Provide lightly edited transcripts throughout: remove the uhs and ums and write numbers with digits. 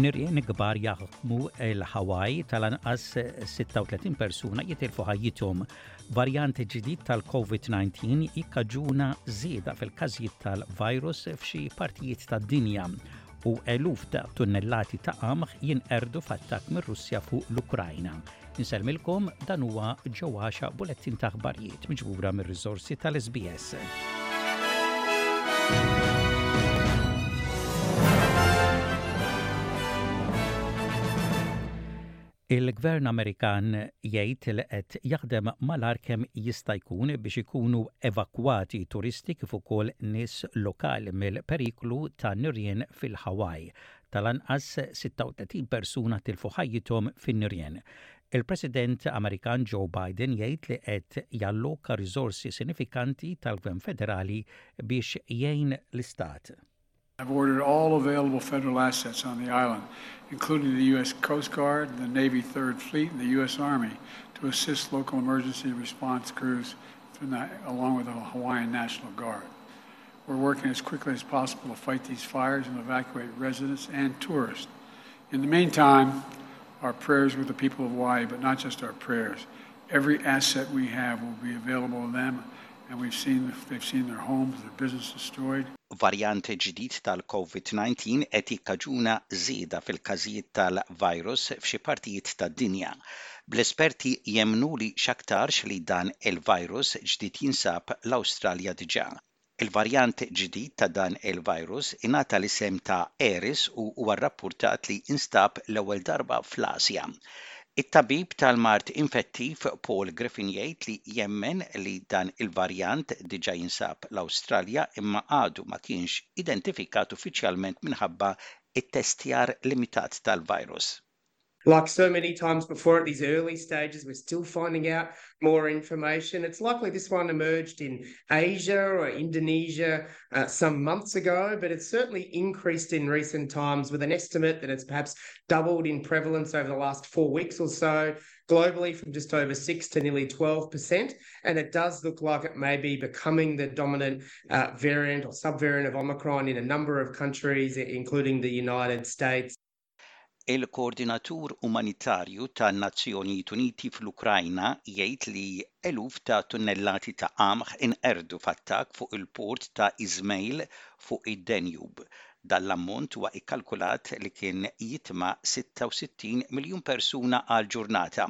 Nirien kbar jaħkmu l-Hawaii tal-anqas 36 persuna jitilfu ħajjithom. Varjant ġdid tal-COVID-19 jikkaġuna żieda fil-każijiet tal-virus f'xi partijiet tad-dinja u eluf ta' tunnellati ta' qamħ jinqerdu f'attakk mir-Russja fuq l-Ukrajna. Insellmilkom dan huwa Joe Axiaq bulettin ta' aħbarijiet miġbura mir-riżorsi tal-SBS. Il-Gvern Amerikan jgħid li qed jaħdem malajr kemm jista' jkun biex ikunu evakwati turisti kif ukoll nies lokali mill-periklu ta' nirien fil-Hawaii. Tal-anqas 36 persuna tilfu ħajjithom fin-nirien. Il-President Amerikan Joe Biden jgħid li qed jalloka riżorsi sinifikanti tal-Gvern Federali biex jgħin l-istat. I've ordered all available federal assets on the island, including the U.S. Coast Guard, the Navy Third Fleet, and the U.S. Army, to assist local emergency response crews along with the Hawaiian National Guard. We're working as quickly as possible to fight these fires and evacuate residents and tourists. In the meantime, our prayers with the people of Hawaii, but not just our prayers. Every asset we have will be available to them, and we've seen they've seen their homes, their business destroyed. Varjant ġdid tal-COVID-19 qed jikkaġuna żieda fil-każijiet tal-virus f'xi partijiet tad-dinja. Bl-esperti jemmnu li x'aktarx li dan il-virus ġdid jinsab l-Awstralja diġà. Il-varjant ġdid ta' dan il-virus ingħata l-isem ta' Eris u huwa rrappurtat li instab l-ewwel darba fl-Asja. It-tabib tal-mard infettiv Paul Griffin jgħid li jemmen li dan il-varjant diġà jinsab l-Awstralja imma għadu ma kienx identifikat uffiċjalment minħabba t-testjar limitat tal-virus. Like so many times before at these early stages, we're still finding out more information. It's likely this one emerged in Asia or Indonesia uh, some months ago, but it's certainly increased in recent times with an estimate that it's perhaps doubled in prevalence over the last four weeks or so globally from just over 6 to nearly 12%. And it does look like it may be becoming the dominant uh, variant or subvariant of Omicron in a number of countries, including the United States. Il-Koordinatur Umanitarju tan-Nazzjonijiet Uniti fl-Ukrajna jgħid li eluf ta' tunnellati ta' qamħ inqerdu f'attakk fuq il-port ta' Izmail fuq id-Danube. Dan l-ammont huwa kkalkulat li kien jitma' 66 miljun persuna għal ġurnata.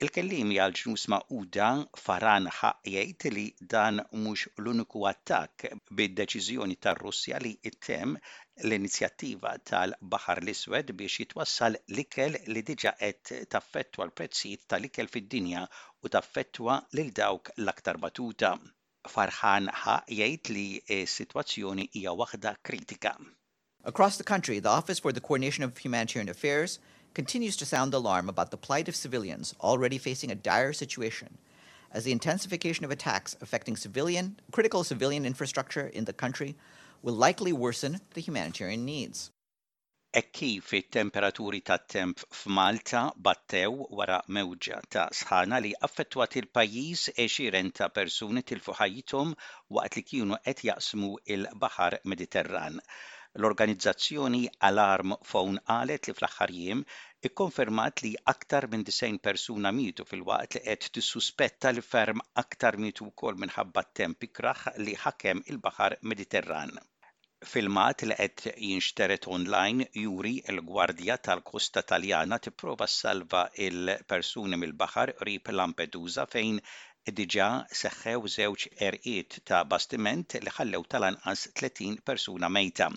Il-kelliemi għall-Ġnus Magħquda Farhan Haq jgħid li dan mhux l-uniku attakk bid-deċiżjoni tar-Russja li ttemm l-inizjattiva tal-Baħar l-Iswed biex jitwassal l-ikel li diġà qed taffettwa l-prezzijiet tal-ikel fid-dinja u taffettwa lil dawk l-aktar batuta. Farhan Haq jgħid li s-sitwazzjoni hija waħda kritika. Across the country, the Office for the Coordination of Humanitarian Affairs continues to sound the alarm about the plight of civilians already facing a dire situation as the intensification of attacks affecting civilian, critical civilian infrastructure in the country will likely worsen the humanitarian needs. Hekk kif it-temperaturi tat-temp f'Malta battew wara mewġa ta' sħana li affettwat il-pajjiż, għexieren ta' persuni tilfu ħajjithom waqt li kienu qed jaqsmu l-Baħar Mediterran. L-organizzazzjoni Alarm Phone qalet li fl-aħħar jiem ikkonfermat li aktar minn 90 persuna mietu filwaqt li qed tissuspetta li ferm aktar mietu wkoll minħabba t-temp ikrah li ħakem il-Baħar Mediterran. Filmat li qed jinxtered online juri l-Gwardja tal-Kosta Taljana tipprova ssalva l-persuni mill-baħar qrib Lampedusa fejn diġà seħħew żewġ għerqiet ta' bastiment li ħallew tal-anqas 30 persuna mejta.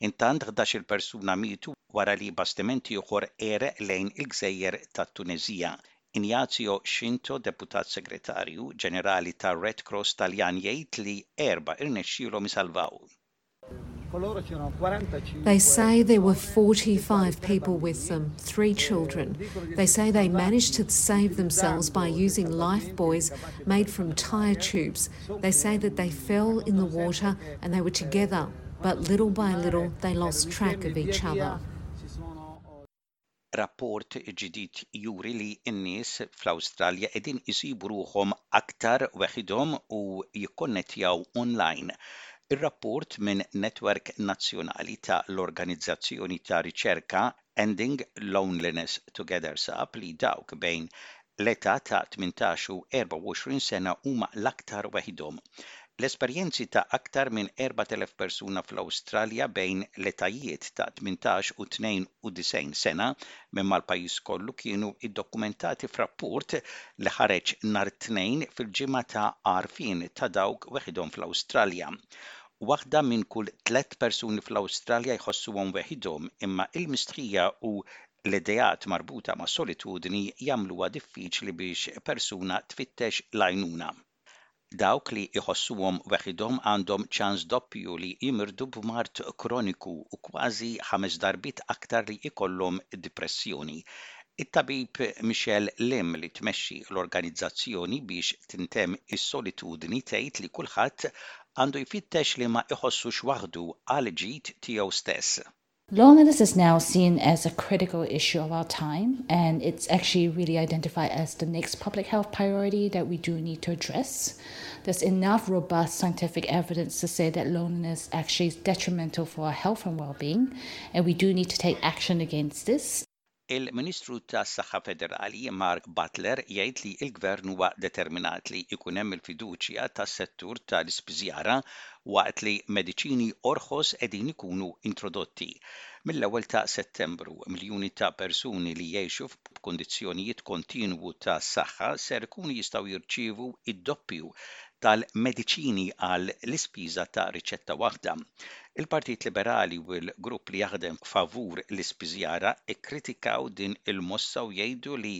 Intant 11-il persuna mietu wara li bastiment ieħor għereq lejn il-gżejjer tat-Tuneżija. Ignazio Scinto, Deputat Segretarju Ġenerali tar-Red Cross Taljan jgħid li erbgħa irnexxielhom isalvaw. They say there were 45 people with them, three children. They say they managed to save themselves by using life buoys made from tyre tubes. They say that they fell in the water and they were together, but little by little they lost track of each other. Rapport ġdid juri li n-nies fl-Awstralja qegħdin isibu ruħhom aktar weħidhom u jikkonnettjaw online. Ir-rapport minn netwerk nazzjonali ta' l-organizzazzjoni ta' riċerka. Ending Loneliness Together sab li dawk bejn l-età ta' 18 u 24 sena huma l-aktar weħidhom. L-esperjenzi ta' aktar minn 4,000 persuna fl-Awstralja bejn l-etajiet ta' 18 u 92 sena minn mal-pajjiż kollu kienu ddokumentati f'rapport li ħareġ nhar it-Tnejn fil-Ġimgħa ta' Għarfien ta' Dawk Weħidhom fl-Awstralja. Waħda minn kull tlett persuni fl-Awstralja jħossuhom weħidhom, imma il-mistħija u l-ideat marbuta mas-solitudni jagħmluha diffiċli biex persuna tfittex l-għajnuna. Dawk li jħossuhom weħidhom għandhom ċans doppju li jimirdu b'mard kroniku u kważi ħames darbiet aktar li jkollhom dipressjoni. It-tabib Michelle Lim li tmexxi l-organizzazzjoni biex tintemm is-solitudni tgħid li kulħadd għandu jfittex li ma iħossux waħdu għall-ġid tiegħu stess. Loneliness is now seen as a critical issue of our time, and it's actually really identified as the next public health priority that we do need to address. There's enough robust scientific evidence to say that loneliness actually is detrimental for our health and well-being, and we do need to take action against this. Il-Ministru tas-Saħħa Federali Mark Butler jgħid li l-Gvern huwa determinat li jkun hemm il-fiduċja tas-settur tal-ispiżjara waqt li mediċini orħos qegħdin ikunu introdotti. Mill-ewwel ta' Settembru, miljuni ta' persuni li jgħixu f'kundizzjonijiet kontinwu ta' saħħa ser ikunu jistgħu jirċievu d-doppju tal-mediċini għal l-ispiża ta' riċetta waħda. Il-Partit Liberali u l-grupp li jaħdem favur l-ispiżjara kkritikaw din il-mossa u jgħidu li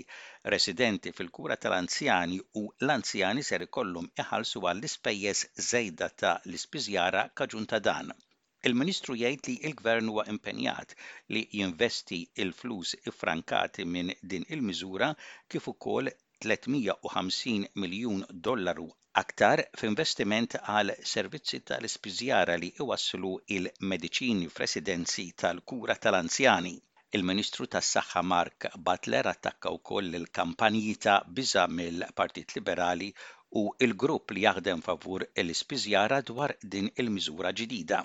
residenti fil-kura tal-anzjani u l-anzjani ser ikollhom iħallsu għall-ispejjeż żejda ta' l-ispiżjara kaġun ta' dan. Il-Ministru jgħid li l-Gvern huwa impenjat li jinvesti l-flus iffrankati minn din il-miżura kif ukoll 350 miljun dollaru aktar f'investiment għal servizzi tal-ispiżjara li jwasslu l-mediċini f'residenzi tal-kura tal-anzjani. Il-Ministru tas-Saħħa Mark Butler attakka wkoll il-kampanji ta' biża' mill-Partit Liberali u l-grupp li jaħdem favur l-ispiżjara dwar din il-miżura ġdida.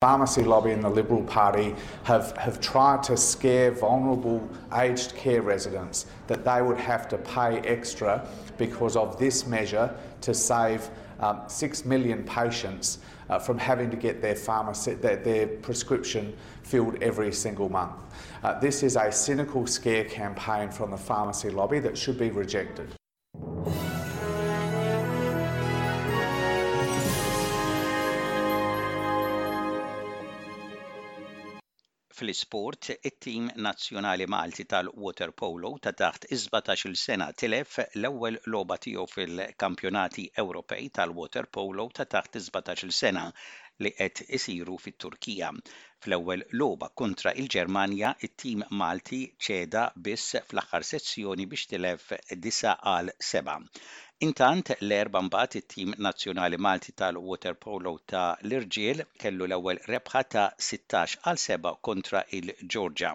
Pharmacy lobby and the Liberal Party have, have tried to scare vulnerable aged care residents that they would have to pay extra because of this measure to save um, 6 million patients uh, from having to get their, pharmacy, their, their prescription filled every single month. Uh, this is a cynical scare campaign from the pharmacy lobby that should be rejected. Fl-isport, it-tim nazzjonali Malti tal-waterpolo ta' taħt is-17-il sena tilef l-ewwel logħba tiegħu fil-Kampjonati Ewropej tal-Waterpolo ta' taħt is-17-il sena li qed isiru fit-Turkija. Fl-ewwel logħba kontra l-Ġermanja, it-tim Malti ċeda biss fl-aħħar sezzjoni biex tilef 9-7. Intant, l-Erbgħa mbagħad it-tim nazzjonali Malti tal-waterpolo ta' l-irġiel kellu l-ewwel rebħa ta' 16-7 kontra l-Ġorġa.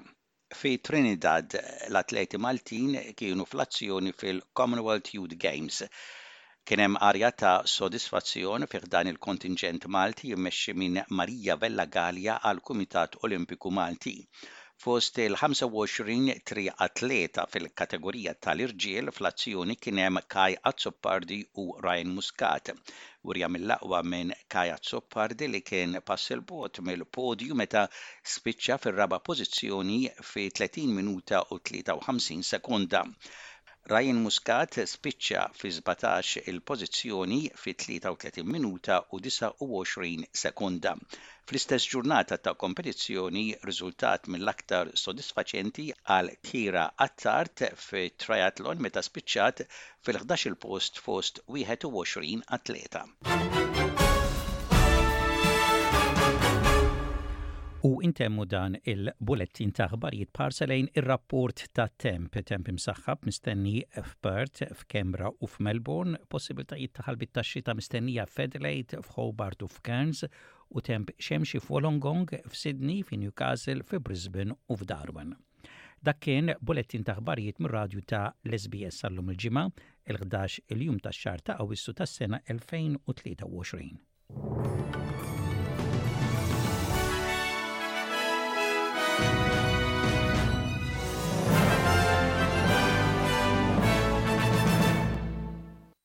Fi Trinidad, l-atleti Maltin kienu fl-azzjoni fil-Commonwealth Youth Games. Kien hemm arja ta' sodisfazzjon fi ħdan il-kontinġent Malti mmexxi minn Maria Vella Galea għall-Kumitat Olimpiku Malti. Fost il-25 triatleta fil-kategorija tal-irġiel fl-azzjoni kien hemm Kai Azzopardi u Ryan Muscat. Wirja mill-aqwa minn Kai Azzopardi li kien pass 'il bogħod mill-podju meta spiċċa fir-raba' pożizzjoni fi 30 minuta u 53 sekonda. Ryan Muscat spiċċa fi 17 il-pożizzjoni fi 33 minuta u 29 sekonda. Fl-istess ġurnata ta' kompetizzjoni, riżultat mill-aktar sodisfaċenti għal Keira Attard fit-triathlon meta spiċċat fil-ħdax-il post fost 21 atleta. U intemmu dan il-bulettin ta' aħbarijiet b'ħarsa lejn ir-rapport tat-temp. Temp imsaħħab mistenni f'Perth, f'Canberra u f'Melbourne, possibiltajiet ta' ħalbiet tax-xita mistennija f'Adelaide, f'Hobart u f'Cairns, u temp xemxi f'Wollongong, f'Sydney, fi Newcastle, fi Brisbane u f'Darwin. Dak kien bulettin ta' aħbarijiet mir-radju ta' l-SBS għal-lum il-Ġimgħa, il-ħdax il-jum tax-xahar ta' Awwissu tas-sena 2023.